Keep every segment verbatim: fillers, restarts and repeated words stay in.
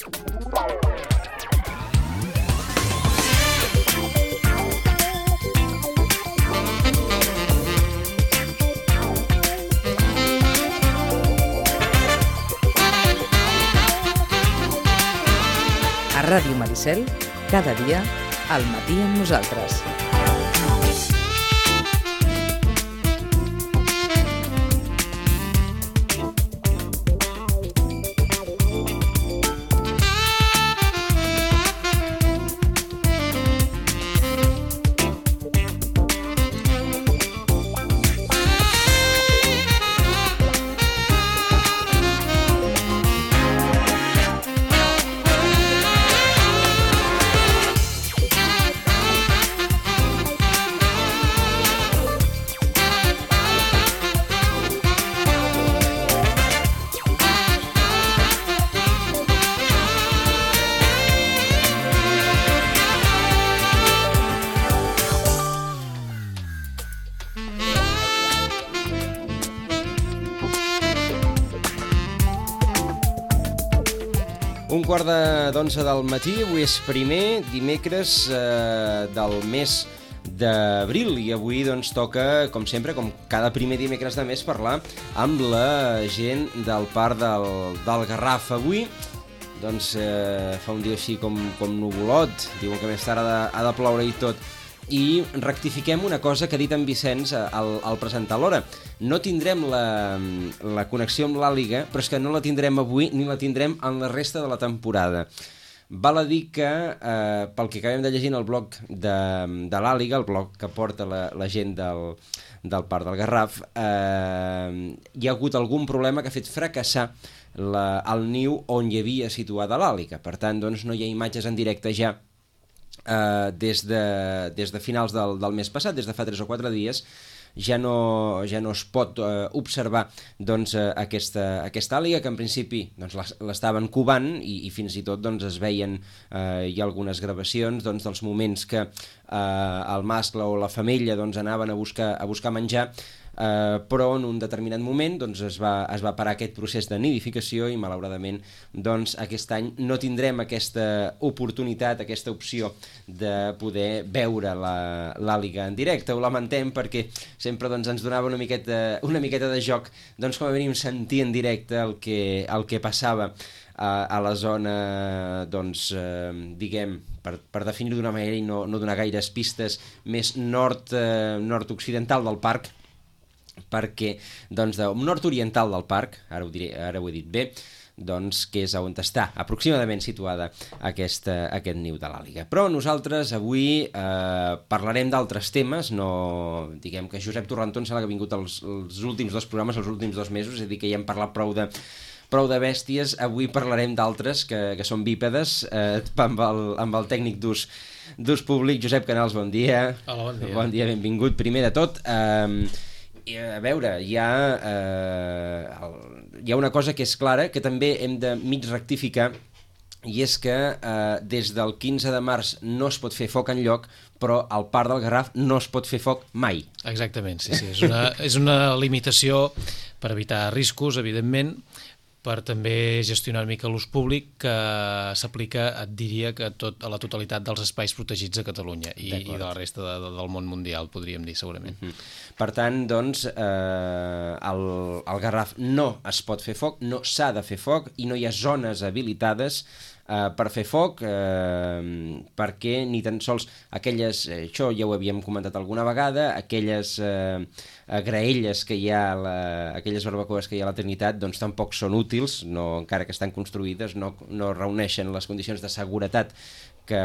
A Ràdio Maricel, cada dia, al matí amb nosaltres. Un quart d'onze del matí, avui és primer dimecres eh, del mes d'abril i avui doncs toca, com sempre, com cada primer dimecres de mes, parlar amb la gent del Parc del, del Garraf. Avui doncs eh, fa un dia així com, com nuvolot, diuen que més tard ha de, ha de ploure i tot. I rectifiquem una cosa que ha dit en Vicenç al, al presentar l'hora. No tindrem la, la connexió amb l'Àliga, però és que no la tindrem avui ni la tindrem en la resta de la temporada. Val a dir que, eh, pel que acabem de llegir en el blog de, de l'Àliga, el blog que porta la, la gent del, del Parc del Garraf, eh, hi ha hagut algun problema que ha fet fracassar la, el niu on hi havia situada l'Àliga. Per tant, doncs, no hi ha imatges en directe ja Uh, des, de, des de finals del, del mes passat, des de fa tres o quatre dies, ja no, ja no es pot uh, observar doncs, uh, aquesta, aquesta àliga, que en principi doncs, l'estaven covant i, i fins i tot doncs, es veien uh, hi ha algunes gravacions doncs, dels moments que uh, el mascle o la femella doncs, anaven a buscar, a buscar menjar. Uh, però en un determinat moment doncs, es, va, es va parar aquest procés de nidificació i malauradament doncs, aquest any no tindrem aquesta oportunitat, aquesta opció de poder veure l'àliga en directe. Ho lamentem perquè sempre doncs, ens donava una miqueta, una miqueta de joc doncs, com a mínim sentir en directe el que, el que passava a, a la zona, doncs, eh, diguem, per, per definir-ho d'una manera i no, no donar gaires pistes, més nord, eh, nord-occidental del parc, perquè, doncs, de nord-oriental del parc, ara ho, diré, ara ho he dit bé, doncs, que és on està aproximadament situada aquesta, aquest niu de l'àliga. Però nosaltres avui eh, parlarem d'altres temes, no, diguem que Josep Torrentó em sembla que ha vingut els, els últims dos programes, els últims dos mesos, és a dir, que ja hem parlat prou de, prou de bèsties. Avui parlarem d'altres que, que són bípedes, eh, amb, el, amb el tècnic d'ús d'ús públic, Josep Canals, bon dia. Hola, bon dia. Bon dia, benvingut. Primer de tot, eh, a veure, hi ha, eh, el, hi ha una cosa que és clara, que també hem de mig rectificar, i és que eh, des del quinze de març no es pot fer foc enlloc, però al Parc del Garraf no es pot fer foc mai. Exactament, sí, sí. És una, és una limitació per evitar riscos, evidentment, per també gestionar una mica l'ús públic que s'aplica, et diria, que tot, a la totalitat dels espais protegits a Catalunya i, i de la resta de, de, del món mundial, podríem dir, segurament. Uh-huh. Per tant, doncs, eh, el, el Garraf no es pot fer foc, no s'ha de fer foc i no hi ha zones habilitades eh, per fer foc, eh, perquè ni tan sols aquelles, eh, això ja ho havíem comentat alguna vegada, aquelles eh, graelles que hi ha, la, aquelles barbacoes que hi ha a la Trinitat, doncs tampoc són útils, no, encara que estan construïdes, no, no reuneixen les condicions de seguretat que,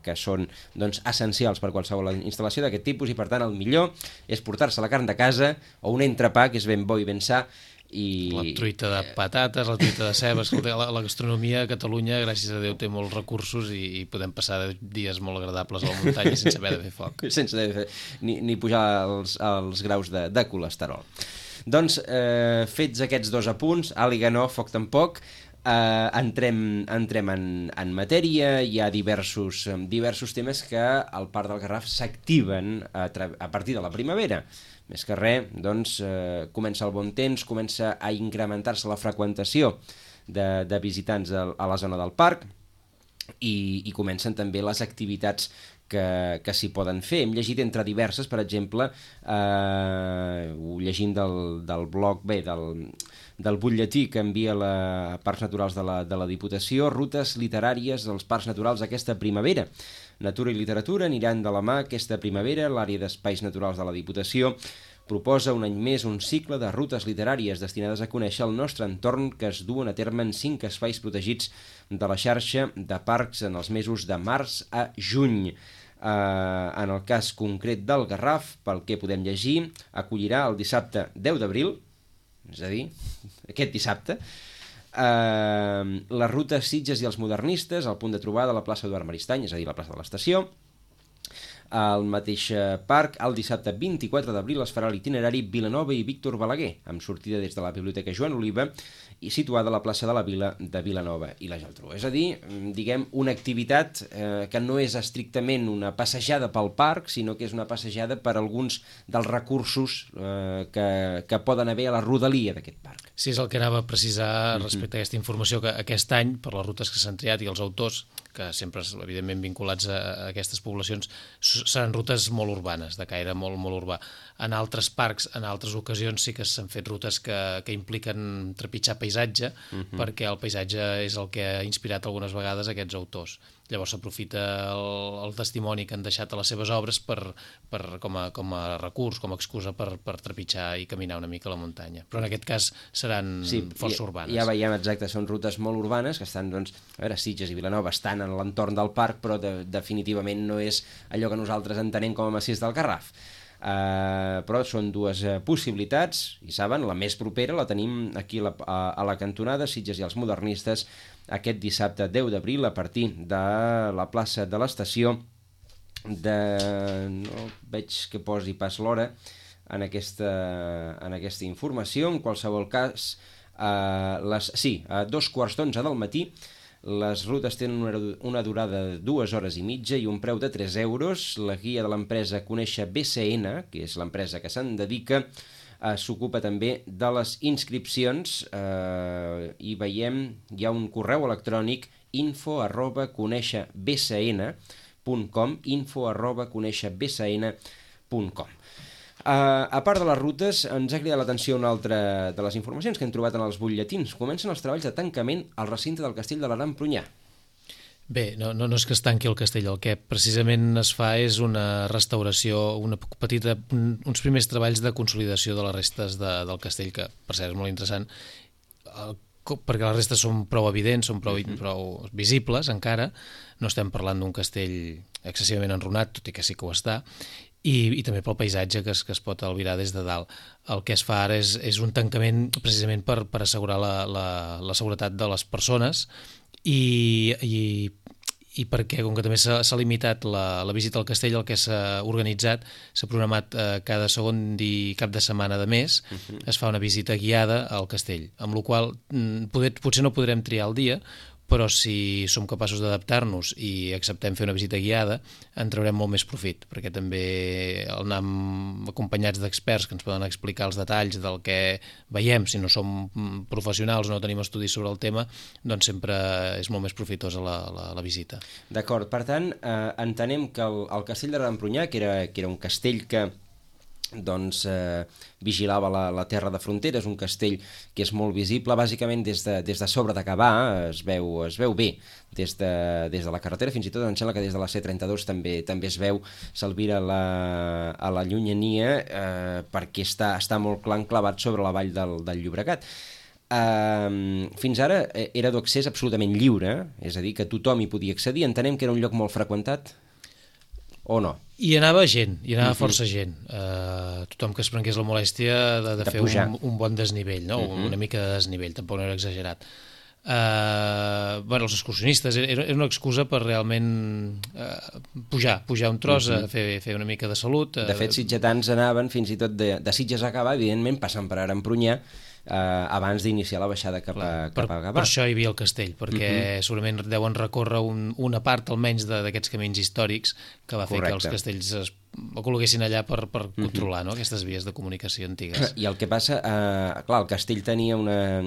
que són doncs, essencials per qualsevol instal·lació d'aquest tipus, i per tant el millor és portar-se la carn de casa o un entrepà que és ben bo i ben sa. I... La truita de patates, la truita de cebes, la, la gastronomia a Catalunya, gràcies a Déu, té molts recursos i, i podem passar dies molt agradables a la muntanya sense haver de fer foc. Sense haver de fer, ni, ni pujar els, els graus de, de colesterol. Doncs, eh, fets aquests dos apunts, àliga no, foc tampoc, eh, entrem, entrem en, en matèria. Hi ha diversos, diversos temes que al Parc del Garraf s'activen a, a partir de la primavera. Més que res, doncs, eh, comença el bon temps, comença a incrementar-se la freqüentació de, de visitants a, a la zona del parc, i, i comencen també les activitats que, que s'hi poden fer. Hem llegit entre diverses, per exemple, eh, ho llegim del, del blog, bé, del, del butlletí que envia la Parcs Naturals de la, de la Diputació, rutes literàries dels Parcs Naturals aquesta primavera. Natura i literatura aniran de la mà aquesta primavera. L'àrea d'espais naturals de la Diputació proposa un any més un cicle de rutes literàries destinades a conèixer el nostre entorn, que es duen a terme en cinc espais protegits de la xarxa de parcs en els mesos de març a juny. Uh, en el cas concret del Garraf, pel que podem llegir, acollirà el dissabte deu d'abril, és a dir, aquest dissabte, uh, la ruta Sitges i els modernistes, al punt de trobada a la plaça Eduard Maristany, és a dir, la plaça de l'estació. Al mateix parc, el dissabte vint-i-quatre d'abril, es farà l'itinerari Vilanova i Víctor Balaguer, amb sortida des de la Biblioteca Joan Oliva i situada a la plaça de la Vila de Vilanova i la Geltrú. És a dir, diguem, una activitat eh, que no és estrictament una passejada pel parc, sinó que és una passejada per alguns dels recursos eh, que, que poden haver a la rodalia d'aquest parc. Sí, és el que anava a precisar respecte a aquesta informació, que aquest any, per les rutes que s'han triat i els autors, que sempre, evidentment, vinculats a aquestes poblacions, seran rutes molt urbanes, de caire molt, molt urbà. En altres parcs, en altres ocasions, sí que s'han fet rutes que, que impliquen trepitjar paisatge, uh-huh. perquè el paisatge és el que ha inspirat algunes vegades aquests autors. Llavors s'aprofita el, el testimoni que han deixat a les seves obres per, per, com, a, com a recurs, com a excusa per, per trepitjar i caminar una mica a la muntanya. Però en aquest cas seran sí, força urbanes. Ja veiem, exacte, són rutes molt urbanes que estan, doncs, a veure, Sitges i Vilanova estan en l'entorn del parc, però de, definitivament no és allò que nosaltres entenem com a massís del Garraf. Uh, però són dues uh, possibilitats, i saben, la més propera la tenim aquí a la, a, a la cantonada Sitges i els modernistes, aquest dissabte deu d'abril, a partir de la plaça de l'estació de... no veig que posi pas l'hora en aquesta, en aquesta informació. En qualsevol cas, uh, les, sí, a dos quarts d'onze del matí. Les rutes tenen una, una durada de dues hores i mitja i un preu de tres euros. La guia de l'empresa Conèixer B C N, que és l'empresa que se'n dedica, eh, s'ocupa també de les inscripcions, eh, i veiem, hi ha un correu electrònic info arroba conèixer b c n punt com, info arroba conèixer b c n punt com. Uh, a part de les rutes, ens ha cridat l'atenció una altra de les informacions que hem trobat en els butlletins. Comencen els treballs de tancament al recinte del Castell de l'Aran Prunyà. Bé, no, no, no és que es tanqui el castell, el que precisament es fa és una restauració, una petita, uns primers treballs de consolidació de les restes de, del castell, que per cert és molt interessant, el, perquè les restes són prou evidents, són prou, uh-huh. prou visibles encara, no estem parlant d'un castell excessivament enrunat, tot i que sí que ho està, I, i també pel paisatge que es, que es pot albirar des de dalt. El que es fa ara és, és un tancament precisament per, per assegurar la, la, la seguretat de les persones i, i, i perquè, com que també s'ha limitat la, la visita al castell, el que s'ha organitzat, s'ha programat eh, cada segon i cap de setmana de mes, uh-huh. es fa una visita guiada al castell, amb la qual poder, potser no podrem triar el dia, però si som capaços d'adaptar-nos i acceptem fer una visita guiada, en traurem molt més profit, perquè també anar acompanyats d'experts que ens poden explicar els detalls del que veiem, si no som professionals o no tenim estudis sobre el tema, doncs sempre és molt més profitosa la, la, la visita. D'acord, per tant, eh, entenem que el, el castell de l'Aran Prunyà, que era, que era un castell que doncs eh, vigilava la, la terra de frontera, és un castell que és molt visible, bàsicament des de, des de sobre de Gavà, es veu, es veu bé des de, des de la carretera, fins i tot em sembla que des de la C trenta-dos també també es veu, s'albira la, a la llunyania, eh, perquè està, està molt clar enclavat sobre la vall del, del Llobregat. Uh, fins ara era d'accés absolutament lliure, és a dir, que tothom hi podia accedir. Entenem que era un lloc molt freqüentat, o no? Hi anava gent, hi anava uh-huh. força gent. Uh, tothom que es prengués la molèstia de, de, de fer un, un bon desnivell, no? uh-huh. una mica de desnivell, tampoc no era exagerat. Uh, bueno, els excursionistes, era, era una excusa per realment uh, pujar, pujar un tros, uh-huh. a fer, fer una mica de salut. De fet, sitgetans anaven fins i tot de, de Sitges a Gavà, evidentment, passant per Aran Prunyà, Uh, abans d'iniciar la baixada cap a, cap a Gavà. Per això hi havia el castell, perquè uh-huh. segurament deuen recórrer un, una part almenys d'aquests camins històrics que va fer Correcte. Que els castells es ho col·loquessin allà per, per controlar, no?, aquestes vies de comunicació antigues. I el que passa, eh, clar, el castell tenia una...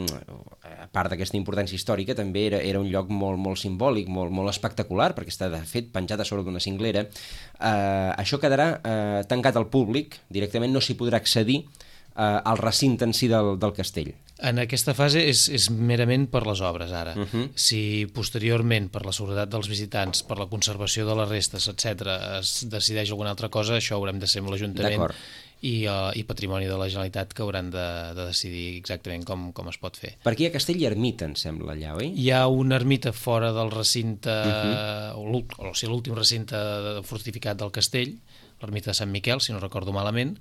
a part d'aquesta importància històrica, també era, era un lloc molt, molt simbòlic, molt, molt espectacular, perquè està, de fet, penjat a sobre d'una cinglera. Eh, això quedarà eh, tancat al públic, directament no s'hi podrà accedir eh, al recinte en si del, del castell. En aquesta fase és, és merament per les obres, ara. Uh -huh. Si posteriorment, per la seguretat dels visitants, per la conservació de les restes, etcètera, es decideix alguna altra cosa, això haurem de ser amb l'Ajuntament i, uh, i Patrimoni de la Generalitat, que hauran de, de decidir exactament com, com es pot fer. Per aquí a Castell hi ha ermita, em sembla, allà, oi? Hi ha una ermita fora del recinte, uh -huh. o, o sigui, l'últim recinte fortificat del castell, l'ermita de Sant Miquel, si no recordo malament,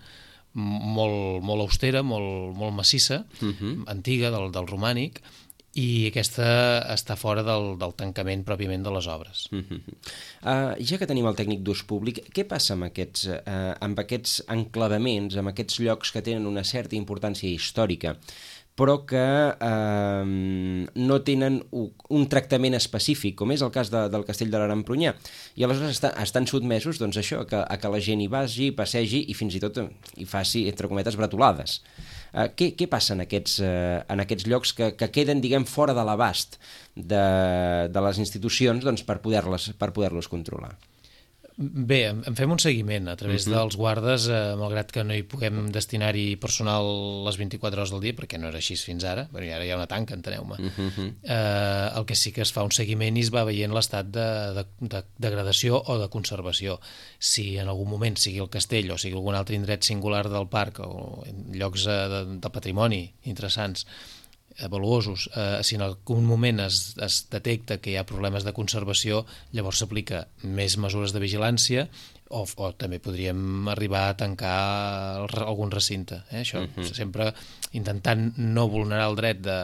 molt, molt austera, molt, molt massissa, uh-huh. antiga, del, del romànic, i aquesta està fora del, del tancament pròpiament de les obres. Uh-huh. Uh, ja que tenim el tècnic d'ús públic, què passa amb aquests, uh, amb aquests enclavaments, amb aquests llocs que tenen una certa importància històrica, però que eh, no tenen un tractament específic, com és el cas de, del Castell de l'Arambrunyà, i aleshores està, estan sotmesos, doncs això, a que, a que la gent hi vagi, passegi i fins i tot hi faci, entre cometes, bretolades. Eh, què, què passa en aquests, eh, en aquests llocs que, que queden, diguem, fora de l'abast de, de les institucions, doncs, per poder-les, per poder-los controlar? Bé, en fem un seguiment a través uh-huh. dels guardes, eh, malgrat que no hi puguem destinar-hi personal les vint-i-quatre hores del dia, perquè no era així fins ara, perquè ara hi ha una tanca, enteneu-me. Uh-huh. Eh, el que sí que es fa un seguiment i es va veient l'estat de, de, de degradació o de conservació. Si en algun moment, sigui el castell o sigui algun altre indret singular del parc o en llocs de, de patrimoni interessants, valuosos, eh, si en algun moment es, es detecta que hi ha problemes de conservació, llavors s'aplica més mesures de vigilància o, o també podríem arribar a tancar el, algun recinte. Eh? Això uh-huh. sempre intentant no vulnerar el dret de,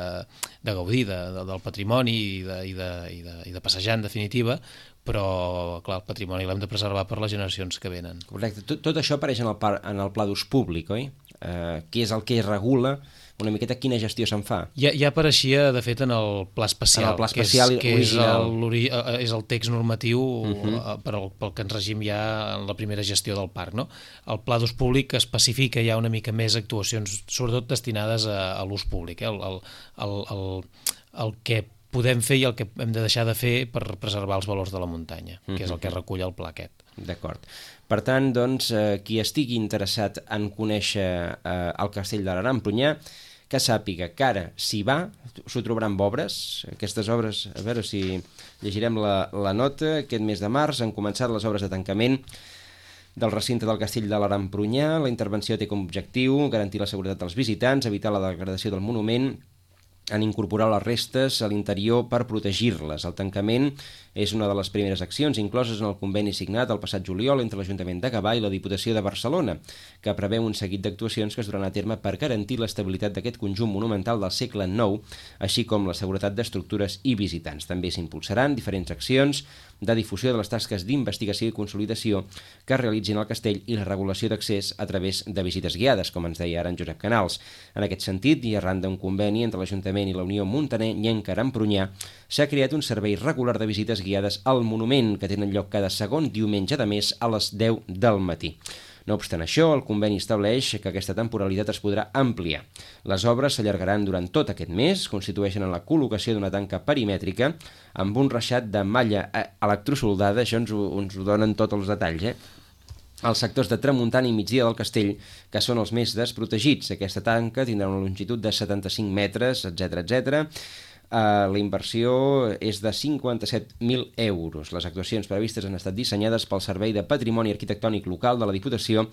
de gaudir de, de, del patrimoni i de, i, de, i, de, i de passejar, en definitiva, però clar, el patrimoni l'hem de preservar per les generacions que venen. Correcte. Tot, tot això apareix en el, par, en el pla d'ús públic, oi? Eh, què és el que regula una miqueta quina gestió se'n fa? Ja, ja apareixia, de fet, en el pla especial, en el pla especial que és, que és, el, és el text normatiu uh-huh. per al, pel que ens regim ja en la primera gestió del parc. No? El pla d'ús públic especifica ja una mica més actuacions, sobretot destinades a, a l'ús públic, eh? el, el, el, el, el que podem fer i el que hem de deixar de fer per preservar els valors de la muntanya, uh-huh. que és el que recull el pla aquest. D'acord. Per tant, doncs, eh, qui estigui interessat en conèixer eh, el Castell de l'Arambrunyà, que sàpiga que ara, si va, s'ho trobarà amb obres. Aquestes obres, a veure si llegirem la, la nota, aquest mes de març han començat les obres de tancament del recinte del Castell de l'Arambrunyà. La intervenció té com a objectiu garantir la seguretat dels visitants, evitar la degradació del monument, en incorporar les restes a l'interior per protegir-les. El tancament és una de les primeres accions incloses en el conveni signat el passat juliol entre l'Ajuntament de Gavà i la Diputació de Barcelona, que preveu un seguit d'actuacions que es duran a terme per garantir l'estabilitat d'aquest conjunt monumental del segle nou, així com la seguretat d'estructures i visitants. També s'impulsaran diferents accions de difusió de les tasques d'investigació i consolidació que es realitzin al castell i la regulació d'accés a través de visites guiades, com ens deia ara en Josep Canals. En aquest sentit, i arran d'un conveni entre l'Ajuntament i la Unió Muntanyenca Arambrunyà, s'ha creat un servei regular de visites guiades al monument, que tenen lloc cada segon diumenge de mes a les deu del matí. No obstant això, el conveni estableix que aquesta temporalitat es podrà ampliar. Les obres s'allargaran durant tot aquest mes, constitueixen en la col·locació d'una tanca perimètrica amb un reixat de malla electrosoldada, això ens ho, ens ho donen tots els detalls, eh? Els sectors de tramuntana i migdia del castell, que són els més desprotegits. Aquesta tanca tindrà una longitud de setanta-cinc metres, etcètera, etcètera. Uh, la inversió és de cinquanta-set mil euros. Les actuacions previstes han estat dissenyades pel Servei de Patrimoni Arquitectònic Local de la Diputació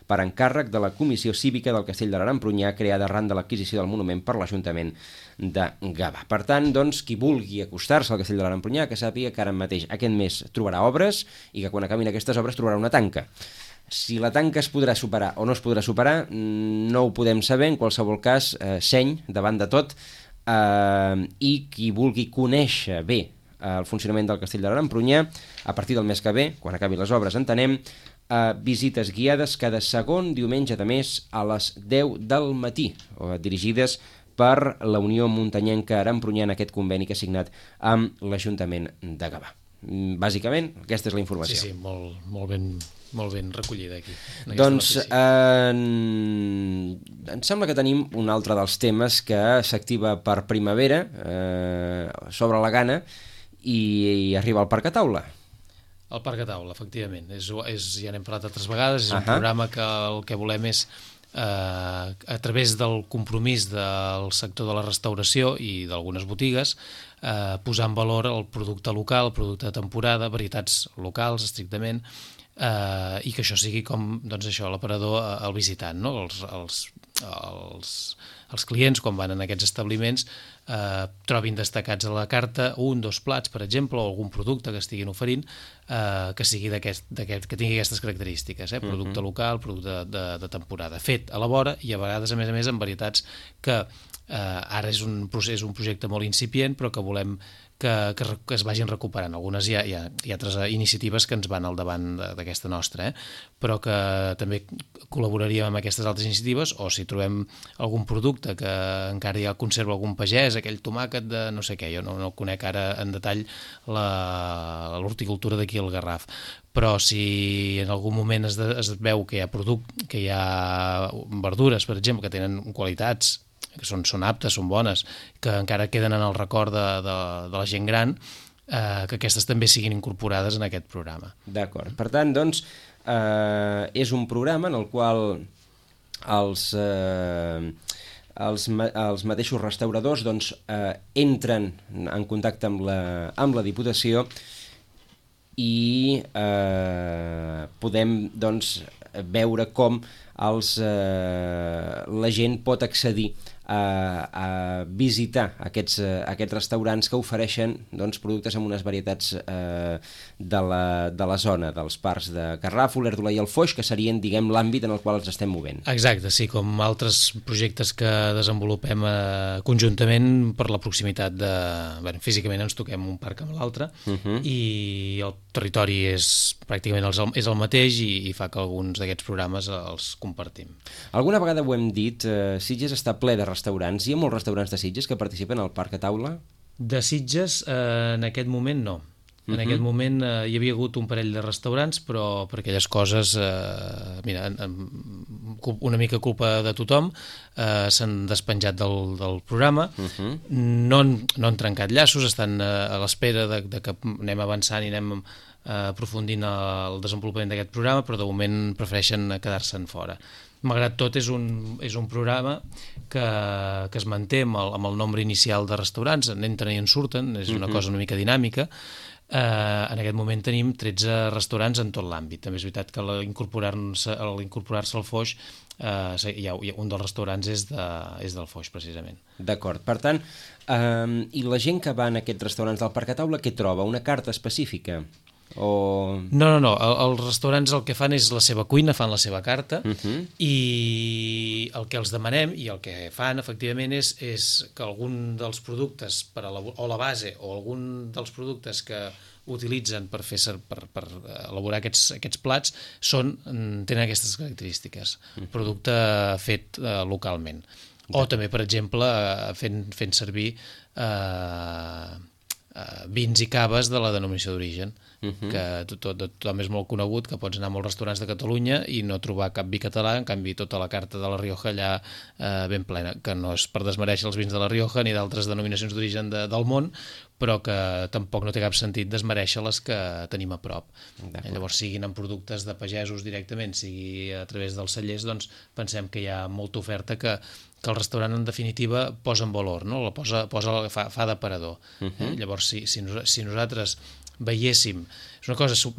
per encàrrec de la Comissió Cívica del Castell de l'Arambrunyà, creada arran de l'adquisició del monument per l'Ajuntament de Gavà. Per tant, doncs, qui vulgui acostar-se al Castell de l'Arambrunyà, que sàpiga que ara mateix aquest mes trobarà obres i que quan acabin aquestes obres trobarà una tanca. Si la tanca es podrà superar o no es podrà superar, no ho podem saber. En qualsevol cas, eh, seny davant de tot. Uh, i qui vulgui conèixer bé uh, el funcionament del Castell de l'Arambrunyà, a partir del mes que ve, quan acabi les obres, entenem, uh, visites guiades cada segon diumenge de mes a les deu del matí, uh, dirigides per la Unió Muntanyenca Arambrunyà en aquest conveni que ha signat amb l'Ajuntament de Gavà. Bàsicament, aquesta és la informació. Sí, sí, molt, molt, ben, molt ben recollida aquí. Doncs eh, em sembla que tenim un altre dels temes que s'activa per primavera, eh, sobre la gana, i, i arriba al Parc a Taula. El Parc a Taula, efectivament. És, és, ja n'hem parlat altres vegades, és uh -huh. un programa que el que volem és, eh, a través del compromís del sector de la restauració i d'algunes botigues, eh, posar en valor el producte local, el producte de temporada, varietats locals, estrictament, eh, i que això sigui com, doncs això, l'aparador al visitant, no? Els, els, els, els clients, quan van en aquests establiments, eh, trobin destacats a la carta un, dos plats, per exemple, o algun producte que estiguin oferint, eh, que sigui d'aquest, d'aquest, que tingui aquestes característiques, eh? Producte uh -huh. local, producte de, de temporada, fet a la vora i a vegades, a més a més, en varietats que eh, ara és un, procés, un projecte molt incipient, però que volem que, que, que es vagin recuperant. Algunes hi ha, hi ha, hi ha altres iniciatives que ens van al davant d'aquesta nostra, eh? Però que també col·laboraríem amb aquestes altres iniciatives, o si trobem algun producte que encara ja conserva algun pagès, aquell tomàquet de no sé què, jo no, no conec ara en detall l'horticultura d'aquí al Garraf, però si en algun moment es, de, es veu que hi ha producte, que hi ha verdures, per exemple, que tenen qualitats que són, són aptes, són bones, que encara queden en el record de, de, de la gent gran, eh, que aquestes també siguin incorporades en aquest programa. D'acord. Per tant, doncs, eh, és un programa en el qual els, eh, els, els mateixos restauradors doncs, eh, entren en contacte amb la, amb la Diputació i eh, podem doncs, veure com els, eh, la gent pot accedir a, a visitar aquests, aquests restaurants que ofereixen doncs, productes amb unes varietats eh, de, la, de la zona, dels parcs de Garraf, Olèrdola i el Foix, que serien, diguem, l'àmbit en el qual ens estem movent. Exacte, sí, com altres projectes que desenvolupem eh, conjuntament per la proximitat de... Bé, físicament ens toquem un parc amb l'altre, uh -huh. i el territori és pràcticament el, és el mateix i, i fa que alguns d'aquests programes els compartim. Alguna vegada ho hem dit, eh, Sitges està ple de restaurants. Hi ha molts restaurants de Sitges que participen al Parc a Taula? De Sitges, eh, en aquest moment no. En uh-huh. aquest moment eh, hi havia hagut un parell de restaurants, però per aquelles coses, eh, mira, en, en, una mica culpa de tothom, eh, s'han despenjat del, del programa, uh-huh. no, han, no han trencat llaços, estan eh, a l'espera de, de que anem avançant i anem eh, aprofundint el desenvolupament d'aquest programa, però de moment prefereixen quedar-se'n fora. Malgrat tot, és un, és un programa que, que es manté amb el, amb el nombre inicial de restaurants, en entren i en surten, és una uh-huh. cosa una mica dinàmica. Eh, en aquest moment tenim tretze restaurants en tot l'àmbit. També és veritat que a l'incorporar-se incorporar-se al Foix, eh, hi ha, hi ha, un dels restaurants és, de, és del Foix, precisament. D'acord. Per tant, eh, i la gent que va en aquests restaurants del Parc a Taula, què troba? Una carta específica? O... No, no, no. El, els restaurants el que fan és la seva cuina, fan la seva carta, uh-huh. i el que els demanem i el que fan, efectivament, és, és que algun dels productes, per a la, o la base, o algun dels productes que utilitzen per, fer, per, per elaborar aquests, aquests plats són, tenen aquestes característiques. Uh-huh. Producte fet eh, localment. O també, per exemple, fent, fent servir eh, eh, vins i caves de la denominació d'origen. Uh-huh. Que tot, tot, tothom és molt conegut, que pots anar a molts restaurants de Catalunya i no trobar cap vi català, en canvi tota la carta de la Rioja allà eh, ben plena, que no és per desmereixer els vins de la Rioja ni d'altres denominacions d'origen de, del món, però que tampoc no té cap sentit desmereixer les que tenim a prop. Eh, llavors, siguin en productes de pagesos directament, sigui a través dels cellers, doncs pensem que hi ha molta oferta que, que el restaurant en definitiva posa en valor, no? La posa, posa, fa, fa d'aparador. Uh-huh. eh? Llavors, si, si, nos, si nosaltres veiéssim, és una cosa sub,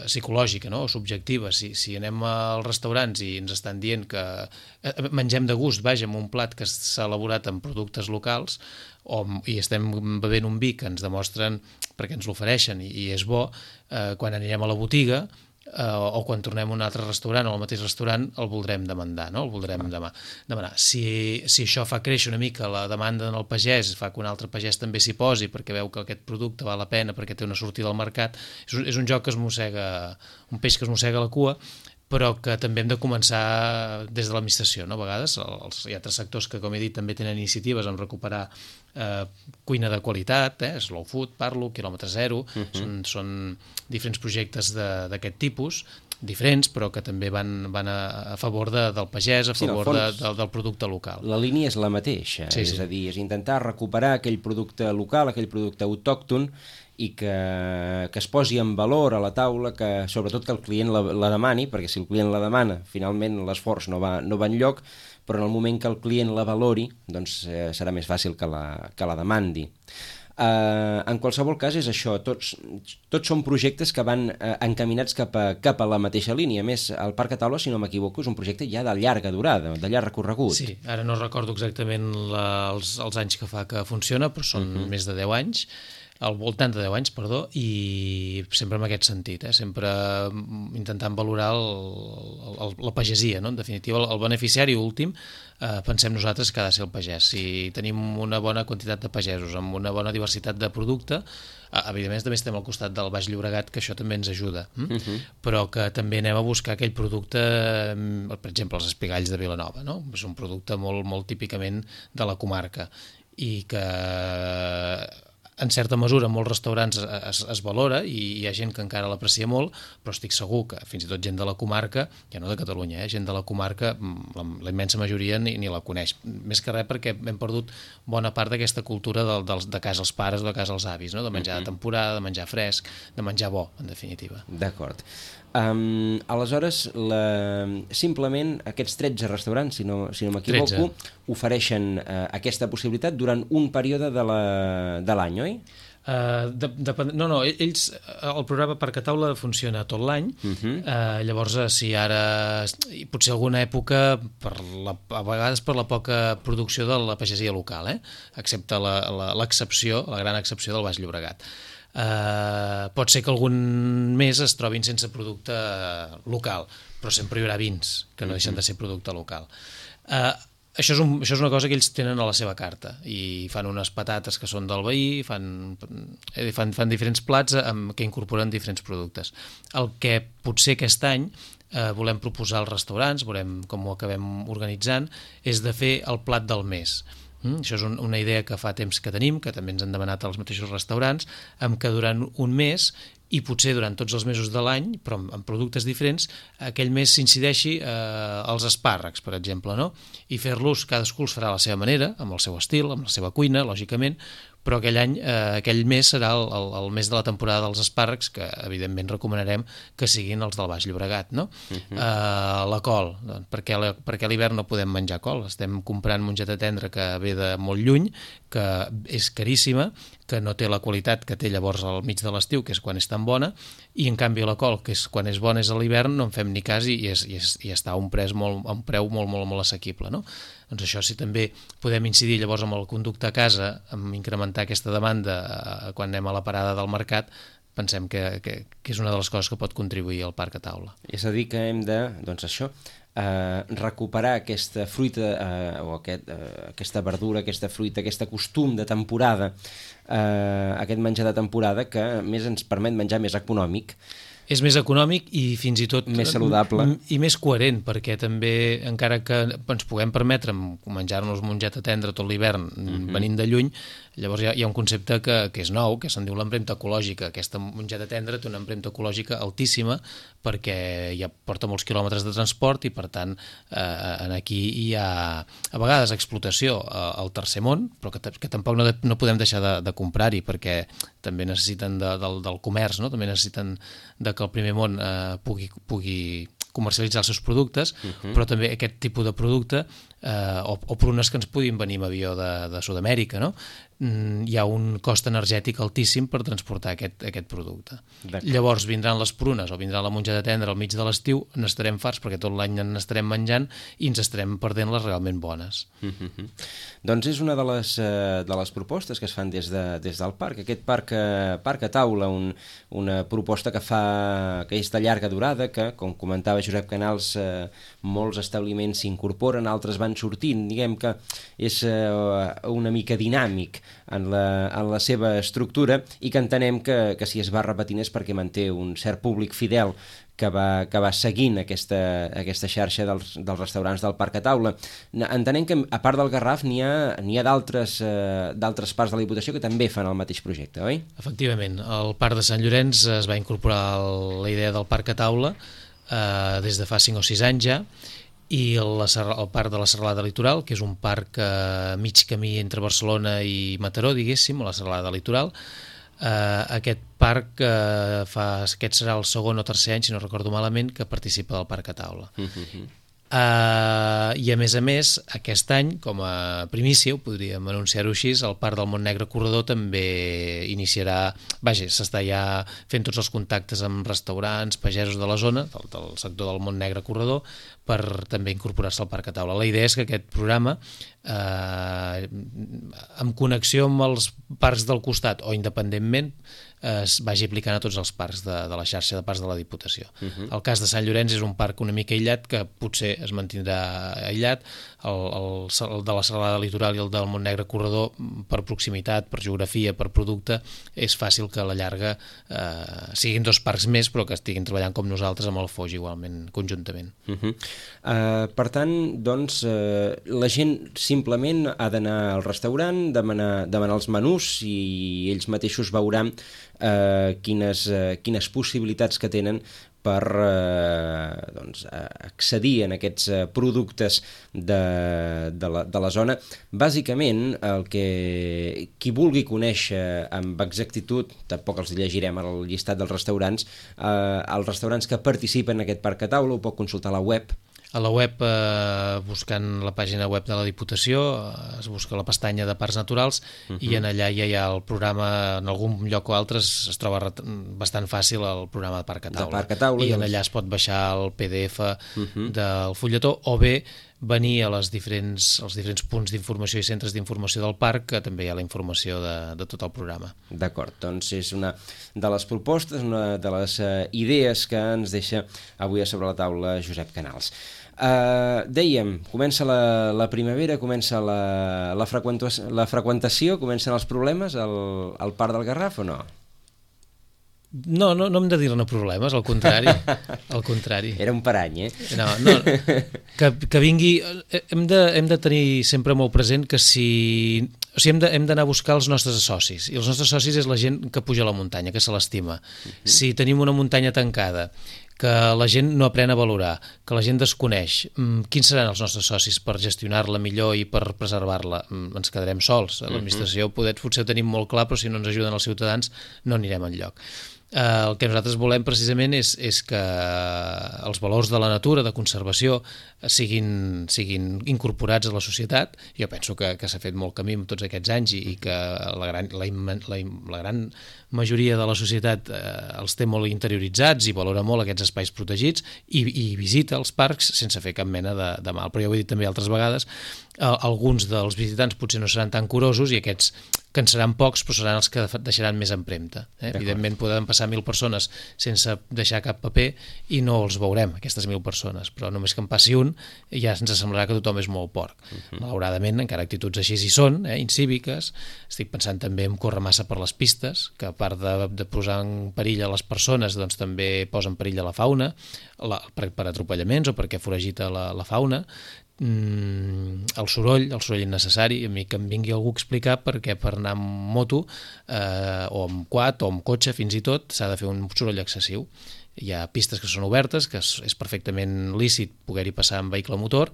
psicològica, no? O subjectiva, si, si anem als restaurants i ens estan dient que mengem de gust, vaja, amb un plat que s'ha elaborat amb productes locals, o, i estem bevent un vi que ens demostren, perquè ens l'ofereixen i, i és bo, eh, quan anirem a la botiga, Uh, o quan tornem a un altre restaurant o al mateix restaurant, el voldrem demandar, no? El voldrem ah. demà, demanar. Si, si això fa créixer una mica la demanda en el pagès, fa que un altre pagès també s'hi posi perquè veu que aquest producte val la pena, perquè té una sortida al mercat, és un, és un joc que es mossega, un peix que es mossega la cua, però que també hem de començar des de l'administració, no? A vegades els, hi ha altres sectors que, com he dit, també tenen iniciatives en recuperar eh, cuina de qualitat, eh? Slow food, parlo, quilòmetre zero, uh -huh. són, són diferents projectes d'aquest tipus, diferents, però que també van, van a, a favor de, del pagès, a sí, favor fons, de, del, del producte local. La línia és la mateixa, sí, és sí. a dir, és intentar recuperar aquell producte local, aquell producte autòcton, i que, que es posi en valor a la taula, que sobretot que el client la, la demani, perquè si el client la demana, finalment l'esforç no va, no va enlloc, però en el moment que el client la valori, doncs eh, serà més fàcil que la, que la demandi. Uh, en qualsevol cas és això, tots, tots són projectes que van uh, encaminats cap a, cap a la mateixa línia. A més, el Parc a Taula, si no m'equivoco, és un projecte ja de llarga durada, de llarg recorregut. Sí, ara no recordo exactament la, els, els anys que fa que funciona, però són uh -huh. més de deu anys, al voltant de deu anys, perdó, i sempre en aquest sentit, eh? Sempre intentant valorar el, el, la pagesia, no? En definitiva, el, el beneficiari últim, eh, pensem nosaltres que ha de ser el pagès. Si tenim una bona quantitat de pagesos, amb una bona diversitat de producte, eh, evidentment també estem al costat del Baix Llobregat, que això també ens ajuda, hm? uh -huh. però que també anem a buscar aquell producte, per exemple, els espigalls de Vilanova, no? És un producte molt, molt típicament de la comarca, i que en certa mesura en molts restaurants es, es valora i hi ha gent que encara l'aprecia molt, però estic segur que fins i tot gent de la comarca, ja no de Catalunya, eh, gent de la comarca, la, la immensa majoria ni, ni la coneix. Més que res perquè hem perdut bona part d'aquesta cultura de, de, de casa als pares o de casa als avis, no? De menjar uh-huh. de temporada, de menjar fresc, de menjar bo, en definitiva. D'acord. Um, aleshores, la, simplement aquests tretze restaurants, si no, si no m'equivoco, ofereixen uh, aquesta possibilitat durant un període de l'any, oi? Uh, de, de, no, no, ells, el programa Parc a Taula funciona tot l'any, uh-huh. uh, llavors si ara, potser alguna època, per la, a vegades per la poca producció de la pagesia local, eh? Excepte l'excepció, la, la, la gran excepció del Baix Llobregat. Uh, pot ser que algun mes es trobin sense producte local, però sempre hi haurà vins que no deixen de ser producte local. Uh, això, és un, això és una cosa que ells tenen a la seva carta, i fan unes patates que són del veí, fan, fan, fan diferents plats amb, que incorporen diferents productes. El que potser aquest any uh, volem proposar als restaurants, veurem com ho acabem organitzant, és de fer el plat del mes. Mm, això és un, una idea que fa temps que tenim, que també ens han demanat als mateixos restaurants, amb que durant un mes, i potser durant tots els mesos de l'any, però amb, amb productes diferents, aquell mes s'incideixi eh, als espàrrecs, per exemple, no? I fer-los, cadascú els farà a la seva manera, amb el seu estil, amb la seva cuina, lògicament, però aquell any, eh, aquell mes serà el, el, el mes de la temporada dels espàrrecs, que evidentment recomanarem que siguin els del Baix Llobregat, no? Uh-huh. eh, la col, doncs, perquè, la, perquè a l'hivern no podem menjar col, estem comprant mongeta tendra que ve de molt lluny, que és caríssima, que no té la qualitat que té llavors al mig de l'estiu, que és quan és tan bona, i en canvi la col, que és quan és bona és a l'hivern, no en fem ni cas i, és, i, és, i està a un, pres molt, a un preu molt, molt, molt assequible, no? Doncs això, si també podem incidir llavors amb el conducte a casa, amb incrementar aquesta demanda eh, quan anem a la parada del mercat, pensem que, que, que és una de les coses que pot contribuir al Parc a Taula. És a dir, que hem de, doncs això, eh, recuperar aquesta fruita, eh, o aquest, eh, aquesta verdura, aquesta fruita, aquest costum de temporada, eh, aquest menjar de temporada que més ens permet menjar més econòmic. És més econòmic i fins i tot més saludable i més coherent, perquè també, encara que ens puguem permetre menjar-nos mongeta tendra tot l'hivern uh-huh. venint de lluny, llavors hi ha, hi ha un concepte que, que és nou, que se'n diu l'empremta ecològica. Aquesta mongeta tendra té una empremta ecològica altíssima perquè ja porta molts quilòmetres de transport i, per tant, eh, aquí hi ha a vegades explotació al tercer món, però que, que tampoc no, de, no podem deixar de, de comprar-hi, perquè també necessiten de, del, del comerç, no? També necessiten de que el primer món eh, pugui, pugui comercialitzar els seus productes, uh-huh. però també aquest tipus de producte eh, o, o prunes que ens puguin venir amb avió de, de Sud-amèrica, no? Mm, hi ha un cost energètic altíssim per transportar aquest, aquest producte. Llavors vindran les prunes o vindrà la mongeta tendra al mig de l'estiu, n'estarem farts perquè tot l'any n'estarem menjant i ens estarem perdent les realment bones. Uh-huh. Doncs és una de les, uh, de les propostes que es fan des, de, des del parc, aquest parc, uh, parc a taula, un, una proposta que fa que és de llarga durada, que, com comentava Josep Canals, uh, molts establiments s'incorporen, altres van van sortint, diguem que és uh, una mica dinàmic en la, en la seva estructura i que entenem que, que si es va repetint és perquè manté un cert públic fidel que va, que va seguint aquesta, aquesta xarxa dels, dels restaurants del Parc a Taula. Entenem que, a part del Garraf, n'hi ha, n'hi ha d'altres eh, d'altres parts de la Diputació que també fan el mateix projecte, oi? Efectivament. Al Parc de Sant Llorenç es va incorporar la idea del Parc a Taula eh, des de fa cinc o sis anys ja, i el, el Parc de la Serralada Litoral, que és un parc a mig camí entre Barcelona i Mataró, diguéssim, a la Serralada Litoral. Uh, aquest parc uh, fa, aquest serà el segon o tercer any, si no recordo malament, que participa del Parc a Taula. Uh-huh. Uh, i a més a més, aquest any, com a primícia, ho podríem anunciar-ho així, el Parc del Montnegre Corredor també iniciarà, vaja, s'està ja fent tots els contactes amb restaurants, pagesos de la zona, del, del sector del Montnegre Corredor, per també incorporar-se al Parc a Taula. La idea és que aquest programa, eh, en connexió amb els parcs del costat o independentment, es vagi aplicant a tots els parcs de, de la xarxa de parcs de la Diputació. Uh-huh. El cas de Sant Llorenç és un parc una mica aïllat que potser es mantindrà aïllat, el, el, el de la Serralada Litoral i el del Montnegre Corredor, per proximitat, per geografia, per producte, és fàcil que a la llarga eh, siguin dos parcs més, però que estiguin treballant com nosaltres amb el Foix igualment, conjuntament. Uh-huh. uh, per tant, doncs, uh, la gent simplement ha d'anar al restaurant, demanar, demanar els menús i ells mateixos veuran Uh, quines, uh, quines possibilitats que tenen per uh, doncs, uh, accedir en aquests uh, productes de, de, la, de la zona. Bàsicament, el que qui vulgui conèixer amb exactitud, tampoc els llegirem el llistat dels restaurants, uh, els restaurants que participen en aquest Parc a Taula ho pot consultar a la web. A la web, eh, buscant la pàgina web de la Diputació, eh, es busca la pestanya de Parcs Naturals uh-huh. i en allà ja hi ha el programa, en algun lloc o altre es, es troba bastant fàcil el programa de Parc a Taula. Parc a Taula I en allà es pot baixar el P D F uh-huh. del fulletó o bé venir a les diferents, als diferents punts d'informació i centres d'informació del parc, que també hi ha la informació de, de tot el programa. D'acord, doncs és una de les propostes, una de les uh, idees que ens deixa avui a sobre la taula Josep Canals. Uh, dèiem, comença la, la primavera, comença la, la, freqüentació, la freqüentació, comencen els problemes al, al Parc del Garraf o no? No, no, no hem de dir-ne problemes, al contrari, al contrari. Era un parany, eh? No, no, que, que vingui... Hem de, hem de tenir sempre molt present que si... O sigui, hem de, hem d'anar a buscar els nostres socis, i els nostres socis és la gent que puja a la muntanya, que se l'estima. Uh-huh. Si tenim una muntanya tancada, que la gent no aprèn a valorar, que la gent desconeix, quins seran els nostres socis per gestionar-la millor i per preservar-la? Ens quedarem sols. L'administració potser ho tenim molt clar, però si no ens ajuden els ciutadans no anirem enlloc. Eh, el que nosaltres volem precisament és, és que els valors de la natura, de conservació, siguin, siguin incorporats a la societat. Jo penso que, que s'ha fet molt camí en tots aquests anys i, i que la gran, la, la, la gran majoria de la societat eh, els té molt interioritzats i valora molt aquests espais protegits i, i visita els parcs sense fer cap mena de, de mal. Però ja ho he dit també altres vegades, eh, alguns dels visitants potser no seran tan curosos i aquests que en seran pocs, però seran els que deixaran més empremta. Eh? Evidentment poden passar mil persones sense deixar cap paper i no els veurem, aquestes mil persones, però només que en passi un ja ens semblarà que tothom és molt porc. Uh-huh. Malauradament, encara actituds així hi són, eh? incíviques. Estic pensant també en córrer massa per les pistes, que a part de, de posar en perill a les persones, doncs també posa en perill a la fauna, la, per, per atropellaments o perquè foragita la, la fauna. Mm, el soroll, el soroll innecessari, a mi que em vingui algú a explicar perquè per anar amb moto eh, o amb quad o amb cotxe fins i tot s'ha de fer un soroll excessiu. Hi ha pistes que són obertes, que és perfectament lícit poder-hi passar amb vehicle motor,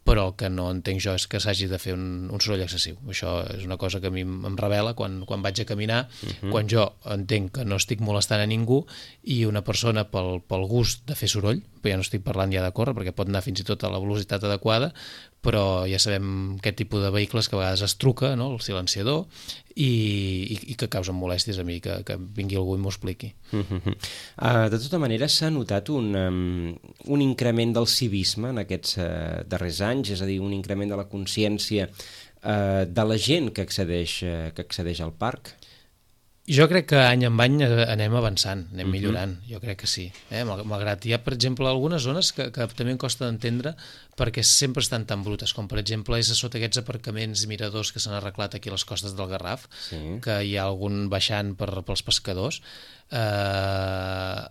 però el que no entenc jo és que s'hagi de fer un, un soroll excessiu. Això és una cosa que a mi em revela quan, quan vaig a caminar, uh-huh. quan jo entenc que no estic molestant a ningú i una persona pel, pel gust de fer soroll, però ja no estic parlant ja de córrer, perquè pot anar fins i tot a la velocitat adequada, però ja sabem aquest tipus de vehicles que a vegades es truca, no?, el silenciador, i, i, i que causen molèsties a mi, que, que vingui algú i m'ho expliqui. Uh-huh. Uh, de tota manera, s'ha notat un, um, un increment del civisme en aquests uh, darrers anys, és a dir, un increment de la consciència uh, de la gent que accedeix, uh, que accedeix al parc? Jo crec que any en any anem avançant, anem millorant, uh-huh. jo crec que sí. Eh? Malgrat hi ha, per exemple, algunes zones que, que també em costa d'entendre perquè sempre estan tan brutes, com per exemple és a sota aquests aparcaments i miradors que s'han arreglat aquí a les costes del Garraf, sí. que hi ha algun baixant per, pels pescadors. Eh,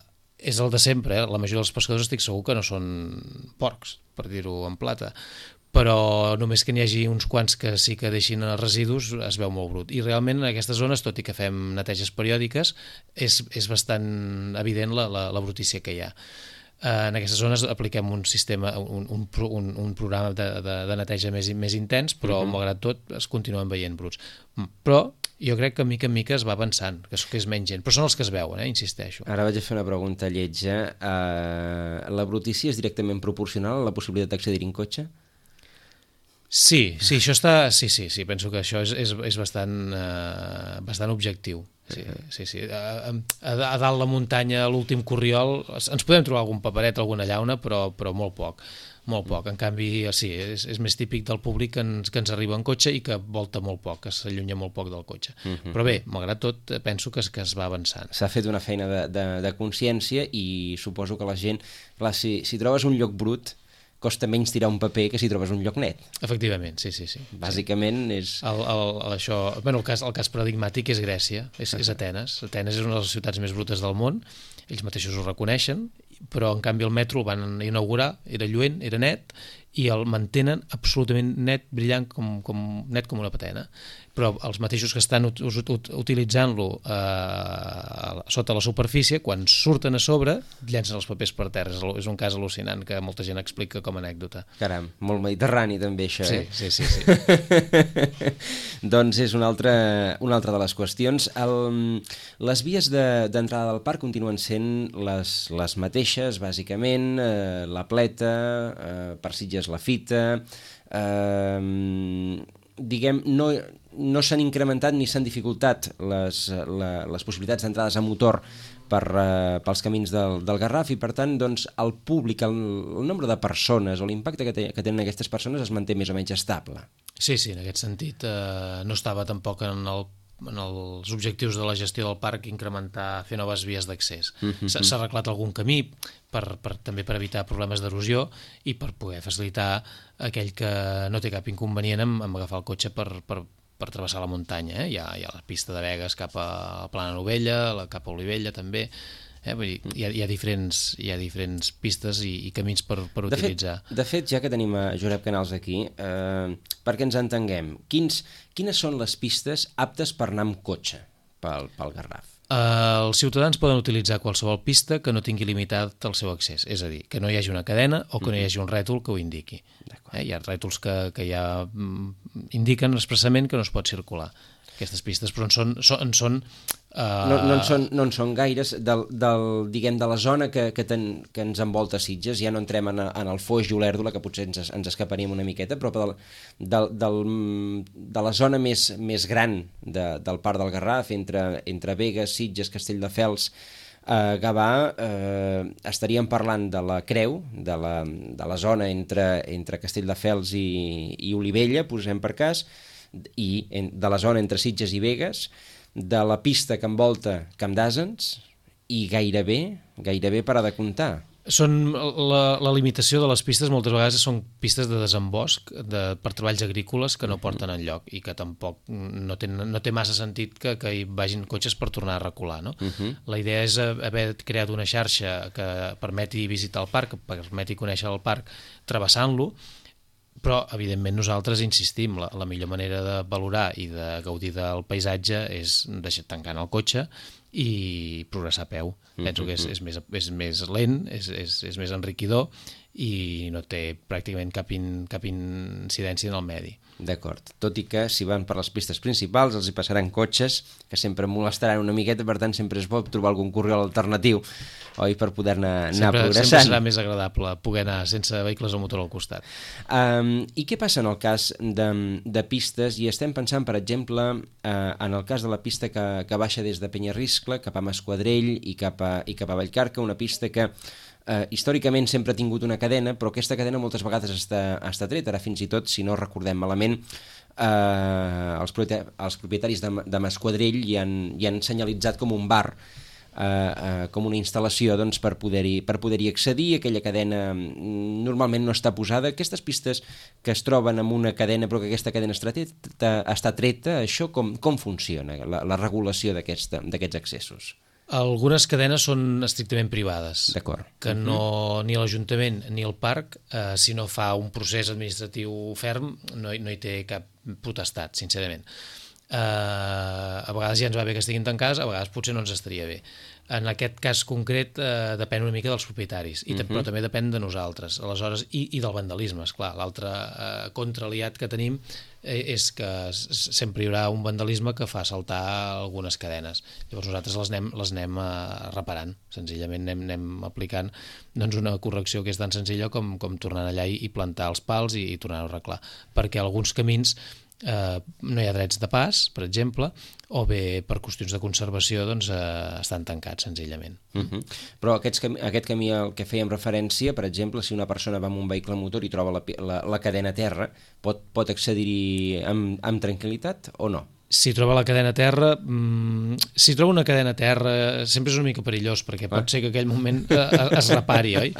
és el de sempre, eh? La majoria dels pescadors estic segur que no són porcs, per dir-ho en plata, però només que n'hi hagi uns quants que sí que deixin residus es veu molt brut. I realment en aquestes zones, tot i que fem neteges periòdiques, és, és bastant evident la, la, la brutícia que hi ha. En aquestes zones apliquem un sistema, un, un, un, un programa de, de, de neteja més, més intens, però uh-huh. malgrat tot es continuen veient bruts. Però jo crec que mica en mica es va avançant, que és, que és menys gent, però són els que es veuen, eh? Insisteixo. Ara vaig a fer una pregunta lletja. Uh, la brutícia és directament proporcional a la possibilitat d'accedir en cotxe? Sí, sí, això està... Sí, sí, sí, penso que això és, és, és bastant, uh, bastant objectiu. Sí, sí, sí. A, a, a dalt la muntanya, a l'últim corriol, ens podem trobar algun paperet, alguna llauna, però, però molt poc, molt poc. En canvi, sí, és, és més típic del públic que ens, que ens arriba en cotxe i que volta molt poc, que s'allunya molt poc del cotxe. Uh-huh. Però bé, malgrat tot, penso que es, que es va avançant. S'ha fet una feina de, de, de consciència i suposo que la gent... Clar, si, si trobes un lloc brut, costa menys tirar un paper que si trobes un lloc net. Efectivament, sí, sí, sí. Bàsicament és... El, el, el, això, bueno, el, cas, el cas paradigmàtic és Grècia, és, és Atenes. Atenes és una de les ciutats més brutes del món, ells mateixos ho reconeixen, però en canvi el metro el van inaugurar, era lluent, era net, i el mantenen absolutament net, brillant com, com, net com una patena. Però els mateixos que estan ut ut utilitzant-lo eh, sota la superfície, quan surten a sobre, llancen els papers per terra. És, és un cas al·lucinant que molta gent explica com a anècdota. Caram, molt mediterrani també això, sí, eh? Sí, sí, sí. Doncs és una altra, una altra de les qüestions. El, les vies d'entrada de, del parc continuen sent les, les mateixes, bàsicament, eh, la Pleta, eh, per Sitges la Fita, eh, diguem, no... no s'han incrementat ni s'han dificultat les, la, les possibilitats d'entrades a motor per, uh, pels camins del, del Garraf i per tant doncs, el públic, el, el nombre de persones o l'impacte que, te, que tenen aquestes persones es manté més o menys estable. Sí, sí, en aquest sentit eh, no estava tampoc en, el, en els objectius de la gestió del parc incrementar, fer noves vies d'accés. Mm-hmm. S'ha arreglat algun camí per, per, també per evitar problemes d'erosió i per poder facilitar aquell que no té cap inconvenient en, en agafar el cotxe per, per per travessar la muntanya. Eh? Hi ha, hi ha la pista de Begues cap a Plana Novella, la cap a Olivella també. Eh? Vull dir, hi ha, hi ha, diferents, hi ha diferents pistes i, i camins per, per de utilitzar. Fet, de fet, ja que tenim a Josep Canals aquí, eh, perquè ens entenguem, quins, quines són les pistes aptes per anar amb cotxe pel, pel Garraf? Uh, els ciutadans poden utilitzar qualsevol pista que no tingui limitat el seu accés, és a dir, que no hi hagi una cadena o que no hi hagi un rètol que ho indiqui. Eh? Hi ha rètols que, que ja indiquen expressament que no es pot circular. Aquestes pistes, però en són... En són uh... no, no, en són no en són gaires, del, del, diguem, de la zona que, que, ten, que ens envolta Sitges, ja no entrem en, en el Foix i Olèrdola, que potser ens, ens escaparíem una miqueta, però del, del, del, de la zona més, més gran de, del Parc del Garraf, entre, entre Begues, Sitges, Castelldefels, Uh, Gavà, uh, estaríem parlant de la Creu, de la, de la zona entre, entre Castelldefels i, i Olivella, posem per cas, i en, de la zona entre Sitges i Begues, de la pista que envolta Camp d'Àsens, i gairebé, gairebé parar de comptar. Són la, la limitació de les pistes moltes vegades són pistes de desembosc de, per treballs agrícoles que no porten enlloc i que tampoc no té, no té massa sentit que, que hi vagin cotxes per tornar a recular, no? Uh-huh. La idea és haver creat una xarxa que permeti visitar el parc, que permeti conèixer el parc travessant-lo, però evidentment nosaltres insistim, la, la millor manera de valorar i de gaudir del paisatge és deixar tancant el cotxe i progressar a peu. Penso que és, és, més, és més lent, és, és, és més enriquidor i no té pràcticament cap, in, cap incidència en el medi. D'acord, tot i que si van per les pistes principals els hi passaran cotxes que sempre molestaran una miqueta, per tant sempre es pot trobar algun corriol alternatiu, oi, per poder-ne anar progressant. Sempre serà més agradable poder anar sense vehicles a motor al costat. Um, I què passa en el cas de, de pistes? I estem pensant, per exemple, uh, en el cas de la pista que, que baixa des de Penyarriscle cap a Masquadrell i cap a, i cap a Vallcarca, una pista que eh, històricament sempre ha tingut una cadena, però aquesta cadena moltes vegades està, està treta. Ara fins i tot, si no recordem malament, eh, els, els propietaris de, de Masquadrell hi han, hi han senyalitzat com un bar, eh, eh, com una instal·lació doncs, per poder-hi per poder-hi accedir. Aquella cadena normalment no està posada. Aquestes pistes que es troben amb una cadena però que aquesta cadena està treta, està treta això com, com funciona, la, la regulació d'aquests accessos? Algunes cadenes són estrictament privades, que no, uh-huh. ni l'Ajuntament ni el parc, eh, si no fa un procés administratiu ferm, no, no hi té cap potestat, sincerament. Eh, a vegades ja ens va bé que estiguin tancades, a vegades potser no ens estaria bé. En aquest cas concret eh, depèn una mica dels propietaris, i uh-huh. però també depèn de nosaltres. Aleshores, i, i del vandalisme, esclar. L'altre eh, contraliat que tenim eh, és que sempre hi haurà un vandalisme que fa saltar algunes cadenes. Llavors nosaltres les anem, les anem eh, reparant, senzillament anem, anem aplicant doncs, una correcció que és tan senzilla com, com tornar allà i, i plantar els pals i, i tornar-ho a arreglar. Perquè alguns camins eh, no hi ha drets de pas, per exemple, o bé per qüestions de conservació doncs, eh, estan tancats senzillament. Uh-huh. Però aquests cam aquest camí al que fèiem referència, per exemple, si una persona va amb un vehicle motor i troba la, la, la cadena a terra, pot, pot accedir-hi amb, amb tranquil·litat o no? Si troba la cadena a terra, mmm, si troba una cadena a terra sempre és una mica perillós, perquè pot ser que aquell moment eh, es repari, oi?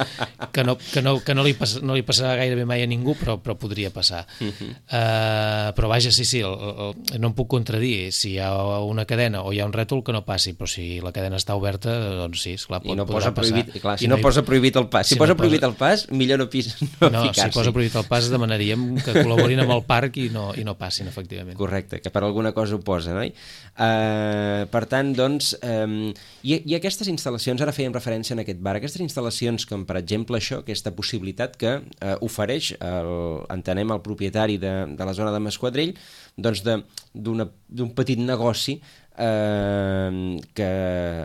Que no, que no, que no, li, pas, no li passarà gairebé mai a ningú, però, però podria passar. Uh-huh. uh, però vaja, sí, sí, el, el, no em puc contradir. Si hi ha una cadena o hi ha un rètol, que no passi, però si la cadena està oberta, doncs sí, esclar, pot, I no podrà posa prohibit, passar. Clar, si I no, no hi... posa prohibit el pas, si, si posa no prohibit posa... el pas, millor no, pis, no, no ficar-s'hi. Si posa prohibit el pas, demanaríem que col·laborin amb el parc i no, i no passin, efectivament. Correcte, que per alguna cosa ho posa, no? Uh, per tant, doncs, um, i, i aquestes instal·lacions, ara fèiem referència en aquest bar, aquestes instal·lacions com, per exemple, això, aquesta possibilitat que uh, ofereix, el, entenem, el propietari de, de la zona de Masquadrell, doncs d'un petit negoci Uh, que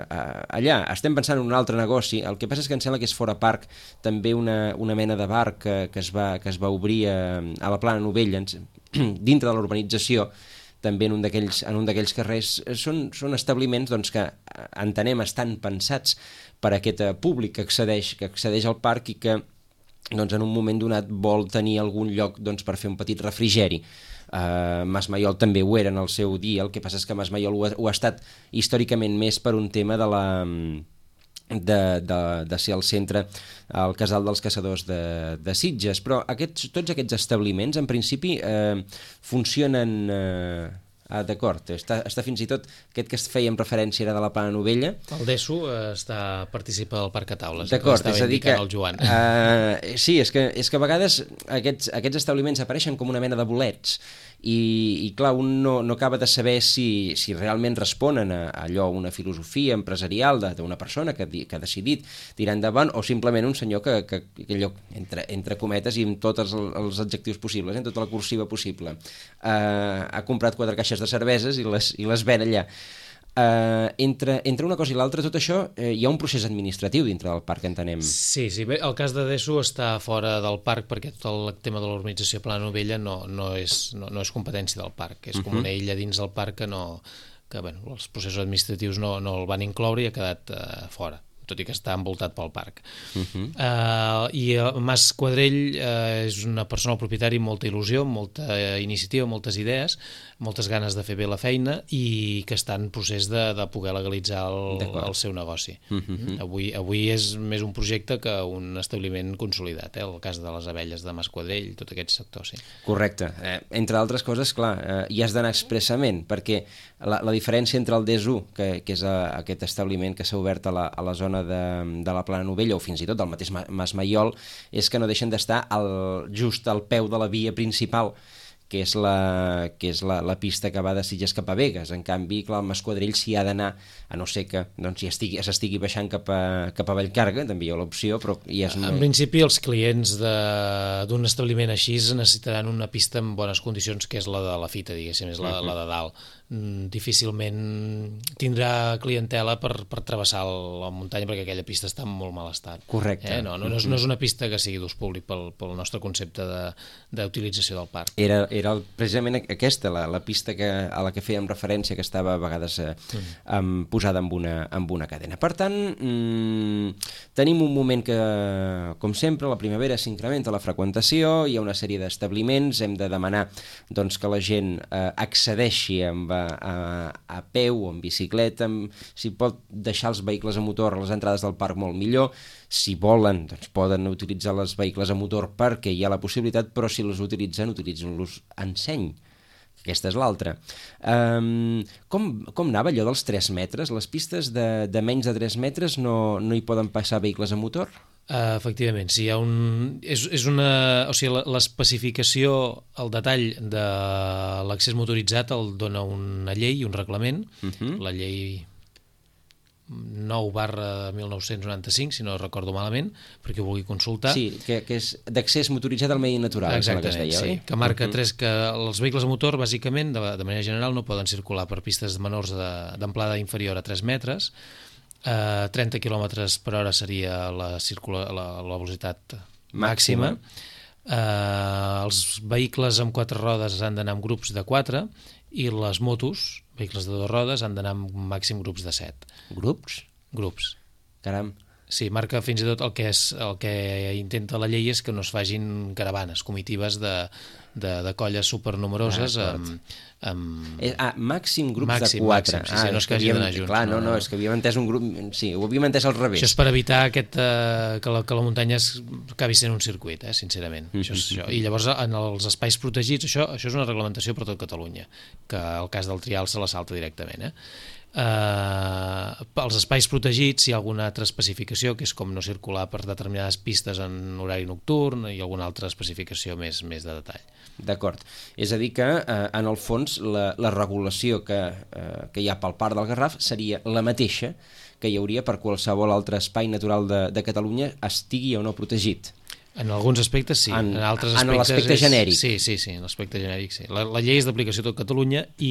uh, allà estem pensant en un altre negoci. El que passa és que em sembla que és fora parc també una, una mena de bar que, que, es, va, que es va obrir a, a la Plana Novella, dintre de l'urbanització, també en un d'aquells carrers. Són, són establiments doncs, que entenem estan pensats per a aquest públic que accedeix, que accedeix al parc i que doncs, en un moment donat vol tenir algun lloc doncs, per fer un petit refrigeri. Uh, Mas Maiol també ho era en el seu dia, el que passa és que Mas Maiol ho ha, ho ha estat històricament més per un tema de la... De, de, de ser el centre, el casal dels caçadors de, de Sitges, però aquests, tots aquests establiments en principi eh, funcionen eh, ah, d'acord, està, està fins i tot aquest que fèiem referència era de la Plana Novella. El Desu eh, està, participa del Parc a Taules, d'acord, és a dir que el Joan. Uh, sí, és que, és que a vegades aquests, aquests establiments apareixen com una mena de bolets i, i clar, un no, no acaba de saber si, si realment responen a, a allò, una filosofia empresarial d'una persona que, que ha decidit tirar endavant o simplement un senyor que, que, que allò, entre, entre cometes i amb tots els, els adjectius possibles, en tota la cursiva possible, uh, ha comprat quatre caixes de cerveses i les, i les ven allà. Uh, entre, entre una cosa i l'altra, tot això, eh, hi ha un procés administratiu dintre del parc, entenem. Sí, sí, bé, el cas de Desu està fora del parc perquè tot el tema de l'urbanització Plana Novella no, no, és, no, no és competència del parc, és uh-huh. com una illa dins del parc que, no, que bueno, els processos administratius no, no el van incloure i ha quedat uh, fora, tot i que està envoltat pel parc. Uh-huh. uh, I uh, Mas Quadrell uh, és una persona, el propietari, amb molta il·lusió, molta uh, iniciativa, moltes idees, moltes ganes de fer bé la feina i que està en procés de, de poder legalitzar el, el seu negoci. Uh-huh. Avui, avui és més un projecte que un establiment consolidat, eh? El cas de les abelles de Mas Quadrell, tot aquest sector, sí. Correcte. Eh, entre altres coses, clar, eh, hi has d'anar expressament, perquè la, la diferència entre el Desu, que, que és a, aquest establiment que s'ha obert a la, a la zona de, de la Plana Novella o fins i tot del mateix Mas Maiol, és que no deixen d'estar just al peu de la via principal, que és la, que és la, la pista que va de Sitges cap a Begues. En canvi, clar, el Masquadrell s'hi ha d'anar, a no ser que doncs, s'estigui estigui baixant cap a, cap a Vallcarga, també hi ha l'opció, però ja és... En principi, els clients d'un establiment així necessitaran una pista en bones condicions, que és la de la fita, diguéssim, és la, uh-huh. la de dalt. Difícilment tindrà clientela per, per travessar la muntanya perquè aquella pista està en molt mal estat. Correcte. Eh? No, no, no, és, no és una pista que sigui d'ús públic pel, pel nostre concepte d'utilització de, del parc. Era, era el, precisament aquesta, la, la pista que, a la que fèiem referència, que estava a vegades eh, um, posada amb una, amb una cadena. Per tant, mm, tenim un moment que, com sempre, a la primavera s'incrementa la freqüentació, hi ha una sèrie d'establiments, hem de demanar doncs, que la gent eh, accedeixi amb, a, a, a peu o en bicicleta, amb, si pot deixar els vehicles a motor a les entrades del parc molt millor. Si volen, doncs poden utilitzar els vehicles a motor perquè hi ha la possibilitat, però si els utilitzen, utilitzen-los en seny. Aquesta és l'altra. Um, com, com anava allò dels tres metres? Les pistes de, de menys de tres metres no, no hi poden passar vehicles a motor? Uh, efectivament, sí, hi ha un... És, és una... O sigui, l'especificació, el detall de l'accés motoritzat el dona una llei, un reglament, uh-huh. La llei nou barra mil nou-cents noranta-cinc, si no recordo malament, perquè ho vulgui consultar. Sí, que, que és d'accés motoritzat al medi natural. Exactament, que deia, sí, que marca uh-huh. tres, que els vehicles a motor, bàsicament, de, de manera general, no poden circular per pistes menors d'amplada inferior a tres metres. Uh, trenta quilòmetres per hora seria la, circula, la, la velocitat màxima. Uh, els vehicles amb quatre rodes han d'anar en grups de quatre i les motos, vehicles de dues rodes, han d'anar en màxim grups de set. Grups? Grups. Caram. Sí, marca fins i tot el que, és, el que intenta la llei és que no es facin caravanes, comitives de, de, de colles supernumeroses ah, amb... amb... Eh, ah, màxim grups màxim, de quatre. Màxim, sí, sí, ah, no és que hagi d'anar junts. Clar, no, no, no, és que havíem entès un grup... Sí, ho havíem entès al revés. Això és per evitar aquest, eh, que, la, que la muntanya es, acabi sent un circuit, eh, sincerament. Mm-hmm. Això és això. I llavors, en els espais protegits, això, això és una reglamentació per tot Catalunya, que el cas del Trial se la salta directament, eh? Uh, els espais protegits hi ha alguna altra especificació, que és com no circular per determinades pistes en horari nocturn i alguna altra especificació més, més de detall. D'acord. És a dir que, eh, en el fons, la, la regulació que, eh, que hi ha pel Parc del Garraf seria la mateixa que hi hauria per qualsevol altre espai natural de, de Catalunya, estigui o no protegit. En alguns aspectes sí, en, en altres aspectes... En l'aspecte genèric. Sí, sí, sí, en l'aspecte genèric sí. La, la llei és d'aplicació a tot Catalunya i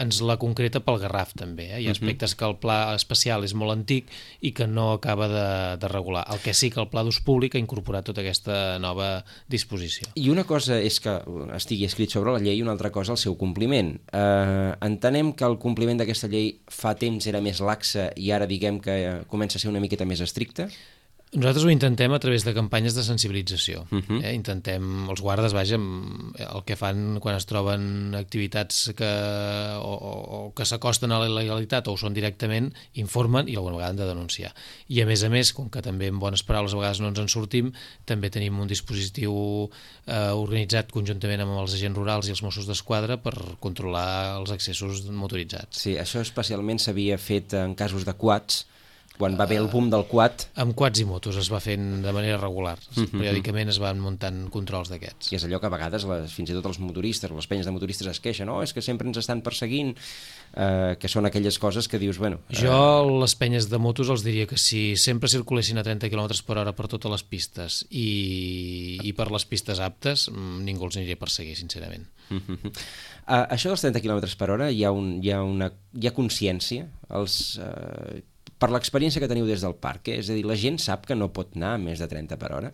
ens la concreta pel Garraf també. Eh? Hi ha aspectes que el pla especial és molt antic i que no acaba de, de regular. El que sí que el pla d'ús públic ha incorporat tota aquesta nova disposició. I una cosa és que estigui escrit sobre la llei i una altra cosa el seu compliment. Eh, entenem que el compliment d'aquesta llei fa temps era més laxa i ara diguem que comença a ser una miqueta més estricta? Nosaltres ho intentem a través de campanyes de sensibilització. Uh-huh. eh? Intentem, els guardes, vaja, el que fan quan es troben activitats que, o, o que s'acosten a la il·legalitat o ho són directament, informen i alguna vegada han de denunciar. I a més a més, com que també en bones paraules a vegades no ens en sortim, també tenim un dispositiu eh, organitzat conjuntament amb els agents rurals i els Mossos d'Esquadra per controlar els accessos motoritzats. Sí, això especialment s'havia fet en casos de quads, quan va haver el boom del quad. Amb quads i motos es va fent de manera regular. Mm-hmm. Periòdicament es van muntant controls d'aquests. I és allò que a vegades les, fins i tot els motoristes, les penyes de motoristes es queixen, no, és que sempre ens estan perseguint, eh, que són aquelles coses que dius, bueno... Eh... Jo les penyes de motos els diria que si sempre circulessin a trenta quilòmetres per hora per totes les pistes i, i per les pistes aptes, ningú els aniria a perseguir, sincerament. Mm-hmm. Uh, això dels trenta quilòmetres per hora hi ha, un, hi ha, una, hi ha consciència? Els... Uh... Per l'experiència que teniu des del parc, eh? És a dir, la gent sap que no pot anar a més de trenta per hora?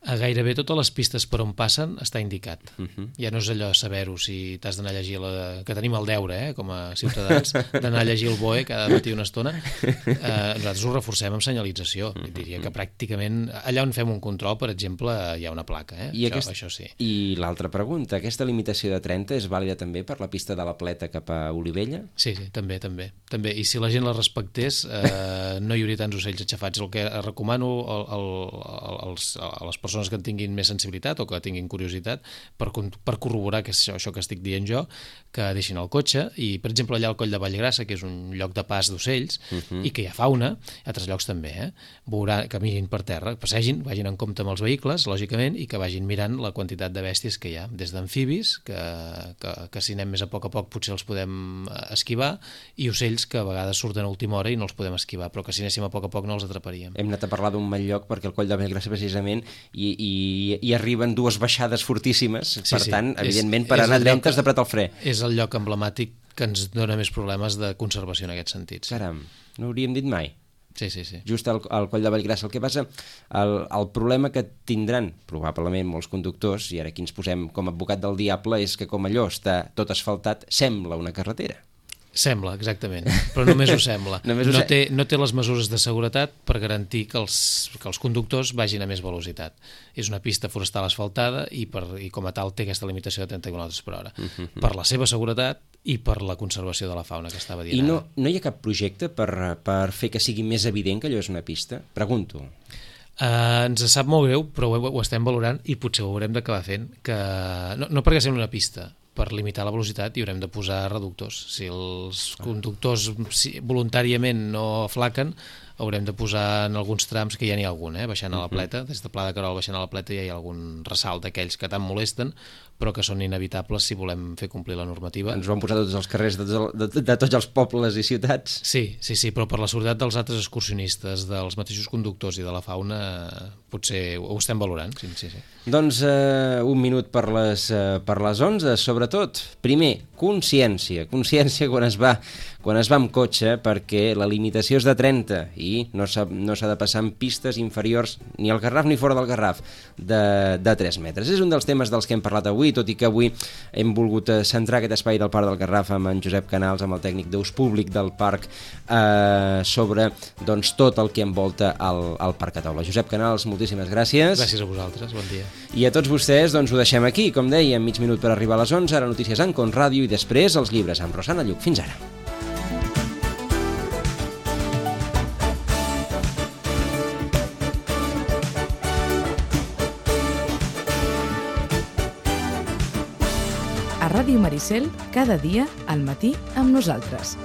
A gairebé totes les pistes per on passen està indicat. Uh-huh. Ja no és allò saber-ho, si t'has d'anar a llegir la... que tenim el deure, eh, com a ciutadans, d'anar a llegir el B O E cada matí una estona. Eh, nosaltres ho reforcem amb senyalització. Uh-huh. Diria que pràcticament allà on fem un control, per exemple, hi ha una placa. Eh? I, això, aquest... això sí. I l'altra pregunta, aquesta limitació de trenta és vàlida també per la pista de la Pleta cap a Olivella? Sí, sí, també, també. també. I si la gent la respectés, eh, no hi hauria tants ocells aixafats. El que recomano al, al, als, a les persones persones que en tinguin més sensibilitat o que tinguin curiositat per, per corroborar que és això, això que estic dient jo, que deixin el cotxe i, per exemple, allà al Coll de Vallgrassa, que és un lloc de pas d'ocells uh-huh. i que hi ha fauna, a altres llocs també, eh? Veurà, caminin per terra, passegin, vagin en compte amb els vehicles, lògicament, i que vagin mirant la quantitat de bèsties que hi ha, des d'amfibis, que, que, que si anem més a poc a poc potser els podem esquivar, i ocells que a vegades surten a última hora i no els podem esquivar, però que si anéssim a poc a poc no els atraparíem. Hem anat a parlar d'un mal lloc perquè el Coll de Vallgrassa precisament i, i, i arriben dues baixades fortíssimes, sí, per sí. tant, evidentment, és, per anar dreta has d'apretar el fre. És el lloc emblemàtic que ens dona més problemes de conservació en aquests sentits. Caram, no hauríem dit mai. Sí, sí, sí. Just al, al coll de Vallgrassa. El que passa, el, el problema que tindran probablement molts conductors, i ara aquí ens posem com a advocat del diable, és que com allò està tot asfaltat, sembla una carretera. Sembla, exactament, però només ho sembla. només ho no, se... té, no té les mesures de seguretat per garantir que els, que els conductors vagin a més velocitat. És una pista forestal asfaltada i, per, i com a tal té aquesta limitació de trenta quilòmetres per hora. Uh-huh. Per la seva seguretat i per la conservació de la fauna que estava dient. I no, no hi ha cap projecte per, per fer que sigui més evident que allò és una pista? Pregunto. Uh, ens sap molt greu, però ho, ho estem valorant i potser ho haurem d'acabar fent. Que... No, no perquè sembli una pista, per limitar la velocitat hi haurem de posar reductors. Si els conductors si voluntàriament no aflaquen, haurem de posar en alguns trams, que ja n'hi ha algun, eh? Baixant a la Pleta, des de Pla de Querol baixant a la Pleta ja hi ha algun ressalt d'aquells que tant molesten, però que són inevitables si volem fer complir la normativa. Ens ho han posat tots els carrers de, de, de, de tots els pobles i ciutats. Sí, sí, sí, però per la seguretat dels altres excursionistes, dels mateixos conductors i de la fauna, potser ho estem valorant. Sí, sí, sí. Doncs eh, un minut per les, eh, per les onze, sobretot. Primer, consciència. Consciència quan es va, quan es va amb cotxe, perquè la limitació és de trenta i no s'ha no s'ha de passar en pistes inferiors ni al Garraf ni fora del Garraf de, de tres metres. És un dels temes dels que hem parlat avui, tot i que avui hem volgut centrar aquest espai del Parc del Garraf amb en Josep Canals, amb el tècnic d'ús públic del parc, eh, sobre doncs, tot el que envolta el, el Parc a Taula. Josep Canals, moltíssimes gràcies. Gràcies a vosaltres, bon dia. I a tots vostès doncs, ho deixem aquí, com deia, mig minut per arribar a les onze, ara notícies en Con Ràdio i després els llibres amb Rosana Lluc. Fins ara. A Ràdio Maricel, cada dia al matí amb nosaltres.